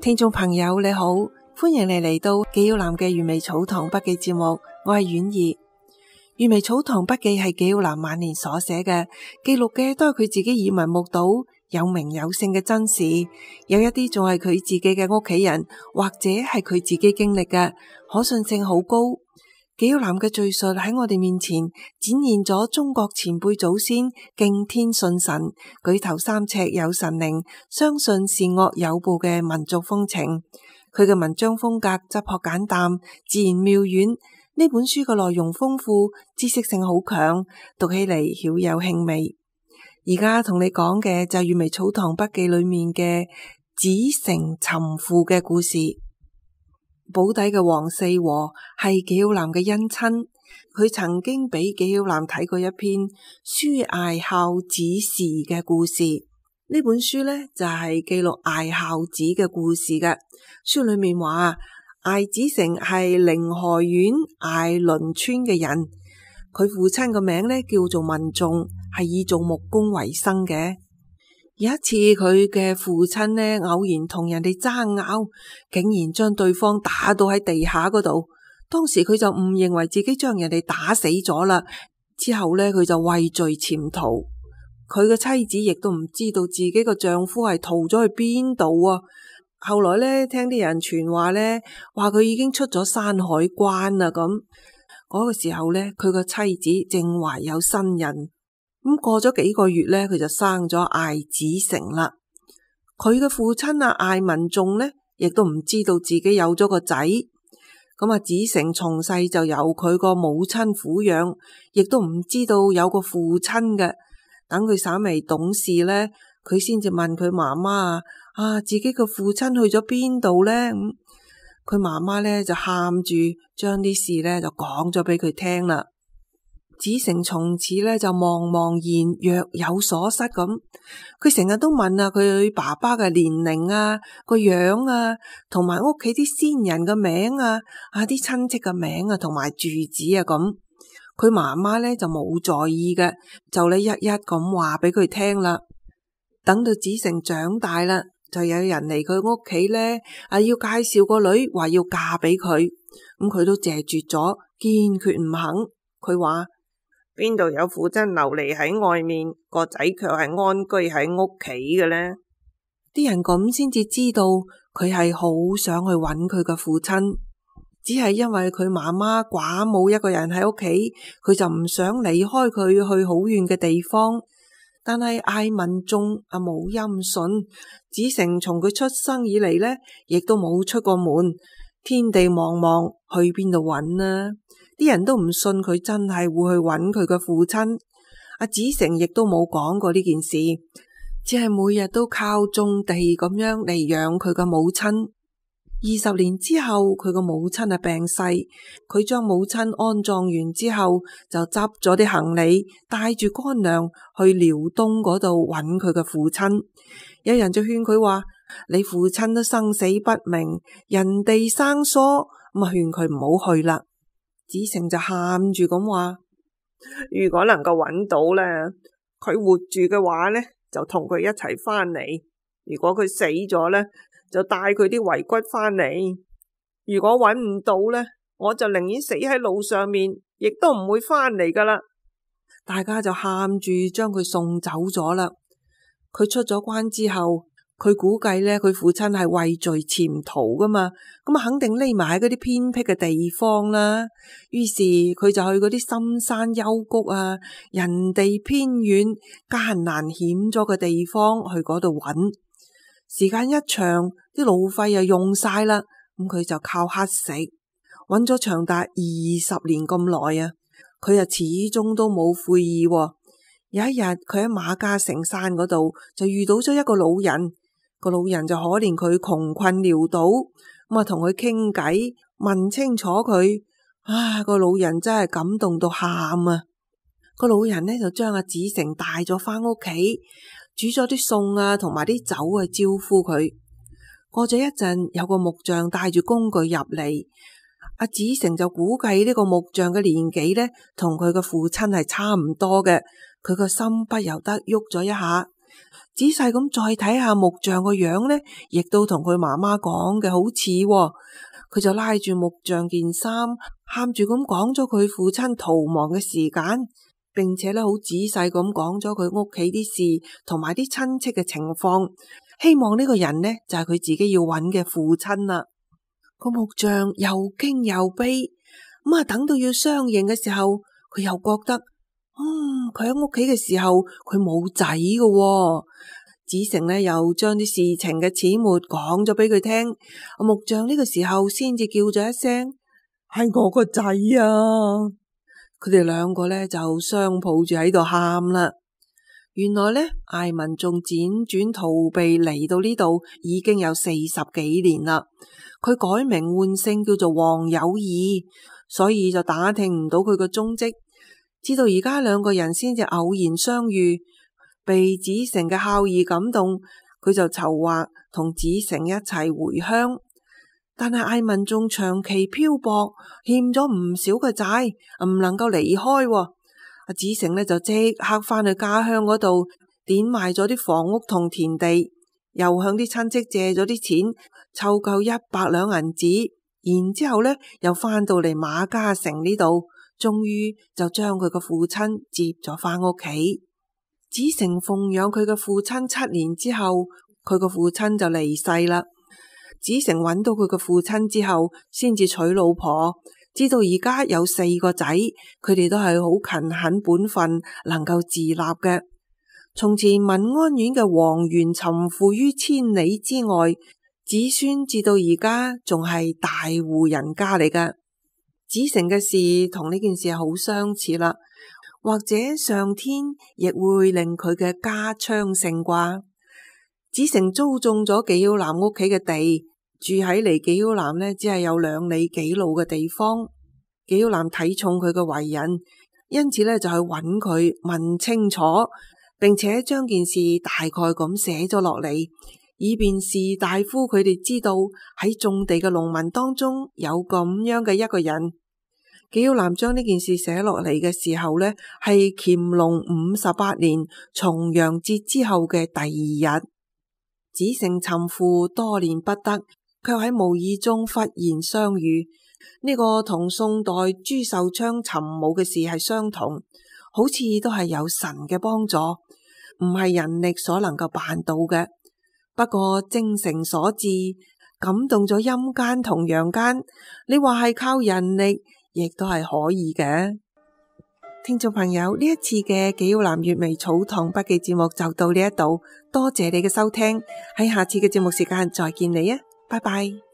聽眾朋友你好，歡迎你嚟到紀曉嵐嘅《閱微草堂筆記》節目，我係婉兒。《閱微草堂筆記》係紀曉嵐晚年所寫嘅，記錄嘅都係佢自己耳聞目睹、有名有姓嘅真事，有一啲仲係佢自己嘅屋企人或者係佢自己經歷嘅，可信性好高。紀曉嵐嘅敘述喺我哋面前展現咗中國前輩祖先敬天信神、舉頭三尺有神靈、相信善惡有報嘅民族風情。佢嘅文章風格質樸簡淡、自然妙遠。呢本書嘅內容豐富，知識性好強，讀起嚟曉有興味。而家同你講嘅就係《閱微草堂筆記》裏面嘅子承尋父嘅故事。保底嘅王四和係紀曉嵐嘅姻親，佢曾經俾紀曉嵐睇過一篇書睚孝子時嘅故事。呢本書呢，就係記錄睚孝子嘅故事嘅。書裏面話睚子成係寧河縣睚倫村嘅人，佢父親個名呢叫做文仲，係以做木工為生嘅。有一次佢嘅父親呢偶然同人哋爭拗，竟然將對方打到喺地下嗰度。當時佢就誤認為自己將人哋打死咗啦，之後呢佢就畏罪潛逃。佢嘅妻子亦都唔知道自己個丈夫係逃咗去邊度啊。後來呢聽啲人傳話呢，話佢已經出咗山海關啦咁。嗰個時候呢，佢個妻子正懷有身孕。咁過咗幾個月呢，佢就生咗睚子成啦。佢嘅父親睚文仲呢，亦都唔知道自己有咗個仔。咁子成從細就由佢個母親撫養，亦都唔知道有個父親嘅。等佢稍微懂事呢，佢先至問佢媽媽自己個父親去咗邊度呢？佢媽媽呢就喊住將啲事呢就講咗俾佢聽啦。子承從此呢就茫茫然若有所失咁，佢成日都問佢爸爸嘅年齡個樣同埋屋企啲先人嘅名啲親戚嘅名同埋住址咁。佢媽媽呢就冇在意嘅，就一一咁話俾佢聽啦。等到子承長大啦，就有人嚟佢屋企呢要介紹個女，話要嫁俾佢。咁佢都謝絕咗，堅決唔肯。佢話邊度有父親流離喺外面，個仔卻係安居喺屋企嘅呢？啲人咁先至知道佢係好想去揾佢嘅父親，只係因為佢媽媽寡母一個人喺屋企，佢就唔想離開佢去好遠嘅地方。但係睚文仲冇音訊，子承從佢出生以嚟呢，亦都冇出過門，天地茫茫，去邊度揾呢？啲人都唔信佢真係會去揾佢嘅父親。子承亦都冇講過呢件事，只係每日都靠種地咁樣嚟養佢嘅母親。20年之後，佢個母親病逝，佢將母親安葬完之後，就執咗啲行李，帶住乾糧去遼東嗰度揾佢嘅父親。有人就勸佢話：你父親都生死不明，人地生疏，咁勸佢唔好去啦。子承就喊住咁話：如果能夠揾到呢，佢活住嘅話呢，就同佢一齊翻嚟；如果佢死咗呢，就帶佢啲遺骨翻嚟。如果揾唔到呢，我就寧願死喺路上面，亦都唔會翻嚟噶啦。大家就喊住將佢送走咗啦。佢出咗關之後，佢估計呢，佢父親係畏罪潛逃噶嘛，咁肯定匿埋喺嗰啲偏僻嘅地方啦。於是佢就去嗰啲深山幽谷人地偏遠、艱難險阻嘅地方去嗰度揾。時間一長，啲路費又用晒啦，咁佢就靠乞食，揾咗長達20年咁耐啊！佢始終都冇悔意。有一日，佢喺馬家城山嗰度就遇到咗一個老人，個老人就可憐佢窮困潦倒，咁同佢傾偈，問清楚佢。個老人真係感動到喊啊！個老人呢就將子承帶咗返屋企，煮咗啲餸同埋啲酒去招呼佢。過咗一陣，有個木匠帶住工具入嚟，子承就估計呢個木匠嘅年紀呢，同佢嘅父親係差唔多嘅。佢個心不由得喐咗一下，仔細咁再睇下木匠個樣呢，亦都同佢媽媽講嘅好似喎。佢就拉住木匠件衫，喊住咁講咗佢父親逃亡嘅時間，並且呢好仔細咁講咗佢屋企啲事同埋啲親戚嘅情況，希望呢個人呢就係佢自己要揾嘅父親啦。個木匠又驚又悲，咁等到要相認嘅時候，佢又覺得佢喺屋企嘅時候佢冇仔㗎喎。子成呢又將啲事情嘅始末講咗俾佢聽，木匠呢個時候先至叫咗一聲，係我個仔啊！佢哋兩個呢就相抱住喺度喊啦。原來呢，艾文仲輾轉逃避嚟到呢度已經有40幾年啦。佢改名換姓叫做黃有義，所以就打聽唔到佢個蹤跡，直到而家兩個人先至偶然相遇。被子成嘅孝義感動，佢就籌劃同子成一齊回鄉。但係艾文仲長期漂泊，欠咗唔少嘅債，唔能夠離開。子成呢就即刻返去家鄉嗰度，典賣咗啲房屋同田地，又向啲親戚借咗啲錢，湊夠100兩銀子，然之後呢又返到嚟馬家城呢度，終於就將佢個父親接咗返屋企。子成奉養佢嘅父親7年之後，佢個父親就離世啦。子成揾到佢嘅父親之後，先至娶老婆，直到而家有4個仔，佢哋都係好勤懇本分，能夠自立嘅。從前文安縣嘅王園尋父於千里之外，子孫至到而家仲係大戶人家嚟㗎。子成嘅事同呢件事係好相似啦。或者上天亦會令佢嘅家昌盛啩。子成租種咗紀曉嵐屋企嘅地，住喺離紀曉嵐呢只係有2里幾路嘅地方。紀曉嵐睇重佢嘅為人，因此呢就去揾佢問清楚，並且將件事大概咁寫咗落嚟，以便士大夫佢哋知道喺種地嘅農民當中有咁樣嘅一個人。紀曉嵐將呢件事寫落嚟嘅時候呢，係乾隆58年重陽節之後嘅第2日。子成尋父多年不得，卻喺無意中忽然相遇。呢個同宋代朱秀昌尋母嘅事係相同，好似都係有神嘅幫助，唔係人力所能夠辦到嘅。不過精誠所至，感動咗陰間同陽間，你話係靠人力，亦都係可以嘅。聽眾朋友，呢一次嘅紀曉嵐閱微草堂筆記節目就到呢一度，多謝你嘅收聽，喺下次嘅節目時間再見你啊，拜拜。